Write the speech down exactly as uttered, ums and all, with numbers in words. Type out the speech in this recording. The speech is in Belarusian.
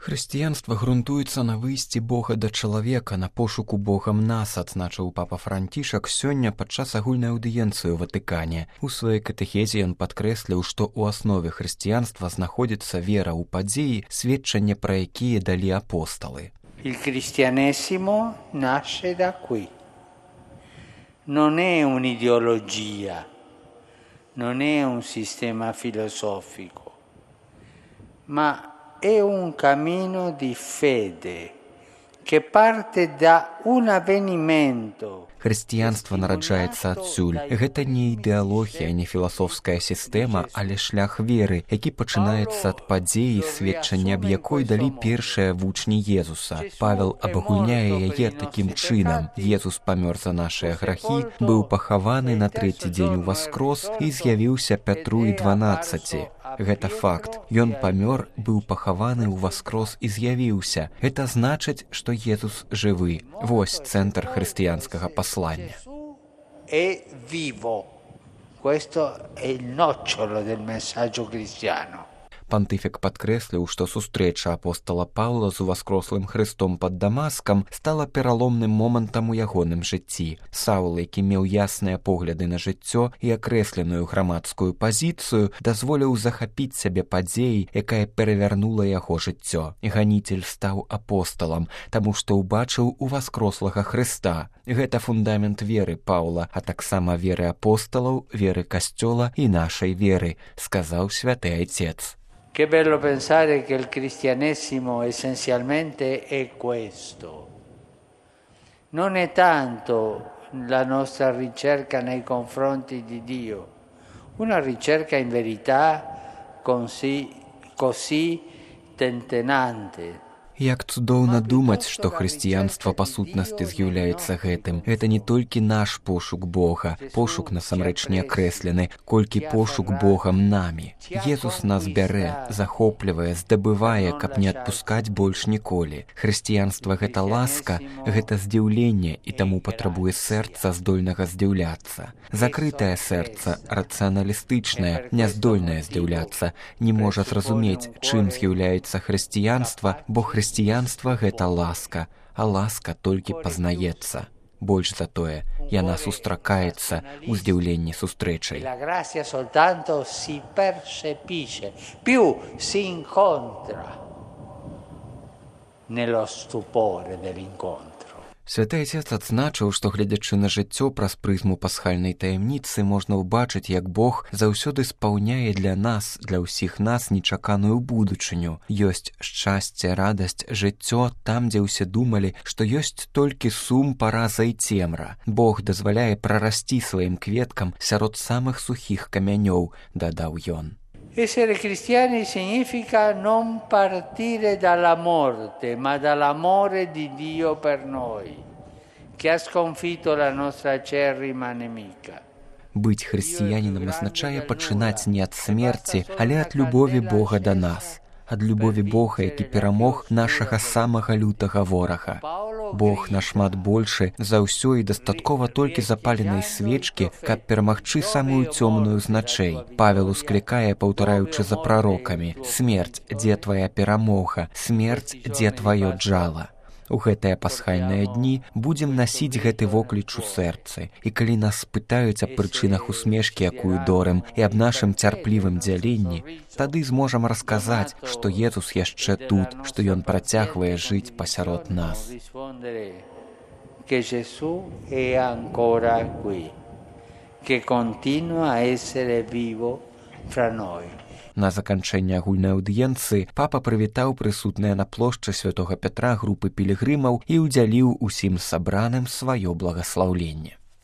Хрысціянства грунтуецца на выйсці Бога да чалавека, на пошуку Богам нас, адзначыў папа Францішак сёння падчас агульнай аўдыенцыі ў Ватыкане. У сваёй катэхезе ён падкрэсліў, што ў аснове хрысціянства знаходзіцца вера ў падзеі, сведчанне пра якія далі апосталы. Il cristianesimo nasce da qui. Non è un'ideologia, non è un sistema filosofico, ma è un cammino di fede che parte da un avvenimento. Хрысціянства нараджаецца адсюль. Гэта не ідэалогія, не філасофская сістэма, але шлях веры, які пачынаецца ад падзеі, сведчання аб якой далі першыя вучні Езуса. Павел абагульняе яе такім чынам. Езус памёр за нашыя грахі, быў пахаваны на трэці дзень уваскрос і з'явіўся Пятру і дванаццаці. Гэта факт. Ён памёр, быў пахаваны ўваскрос і з'явіўся. Гэта значыць, што Езус жывы. Вось цэнтр хрысціянскага паслання. È vivo. Questo è il nocciolo del messaggio cristiano. Пантыфік падкрэсліў, што сустрэча апостала Паўла з уваскрослым Хрыстом пад Дамаскам стала пераломным момантам у ягоным жыцці. Саул, які меў ясныя погляды на жыццё і акрэсленую грамадскую пазіцыю, дазволіў захапіць сябе падзеі, якая перавярнула яго жыццё. Ганіцель стаў апосталам, таму што ўбачыў уваскрослага Хрыста. Гэта фундамент веры Паўла, а таксама веры апосталаў, веры касцёла і нашай веры, сказаў святы айцец. Che bello pensare che il cristianesimo essenzialmente è questo. Non è tanto la nostra ricerca nei confronti di Dio, una ricerca in verità così, così tentennante. Як цудоўна думаць, што хрысціянства па сутнасці з'яўляецца гэтым. Гэта не толькі наш пошук Бога, пошук насамрэч не акрэслены, колькі пошук Богам намі. Езус нас бярэ, захоплівае, здабывае, каб не адпускаць больш ніколі. Хрысціянства гэта ласка, гэта здзіўленне і таму патрабуе сэрца, здольнага здзіўляцца. Закрытае сэрца, рацыяналістычнае, няздольнае здзіўляцца, не можа зразумець, чым з'яўляецца хрысціянства, бо хрысціянства Хрысціянства – гэта ласка, а ласка толькі пазнаецца. Больш за тое, яна сустракаецца ў здзіўленні сустрэчай. La grazia soltanto si percepisce, più si incontra nello stupore dell'incontro. Святы айцец адзначыў, што гледзячы на жыццё праз прызму пасхальнай таямніцы можна ўбачыць, як Бог заўсёды спаўняе для нас, для ўсіх нас нечаканую будучыню. Ёсць шчасце, радасць, жыццё там, дзе ўсе думалі, што ёсць толькі сум, параза і цемра. Бог дазваляе прарасці сваім кветкам сярод самых сухіх камянёў, дадаў ён. Essere cristiani significa non partire dalla morte, ma dall'amore di Dio per noi, che ha sconfitto la nostra acerrima nemica. Быць хрысціянінам азначае пачынаць не ад смерці, але ад любові Бога да нас, ад любові Бога, які перамог нашага самага лютага ворага. Бог нашмат большы за ўсё і дастаткова толькі запаленай свечкі, каб перамагчы самую цёмную з начэй. Павел усклікае, паўтараючы за прарокамі: «Смерць, дзе твая перамога? Смерць, дзе тваё джала?» У гэтыя пасхальныя дні будзем насіць гэты вокліч у сэрцы. І калі нас спытаюць аб прычынах усмешкі, якую дорым, і аб нашым цярплівым дзяленні, тады зможам расказаць, што Езус яшчэ тут, што Ён працягвае жыць пасярод нас. Que Gesù è ancora qui, che continua a essere vivo fra noi. На заканчэнне агульнай аўдыенцыі папа прывітаў прысутныя на плошчы святога Пятра групы пілігрымаў і ўдзяліў усім сабраным сваё благаслаўленне.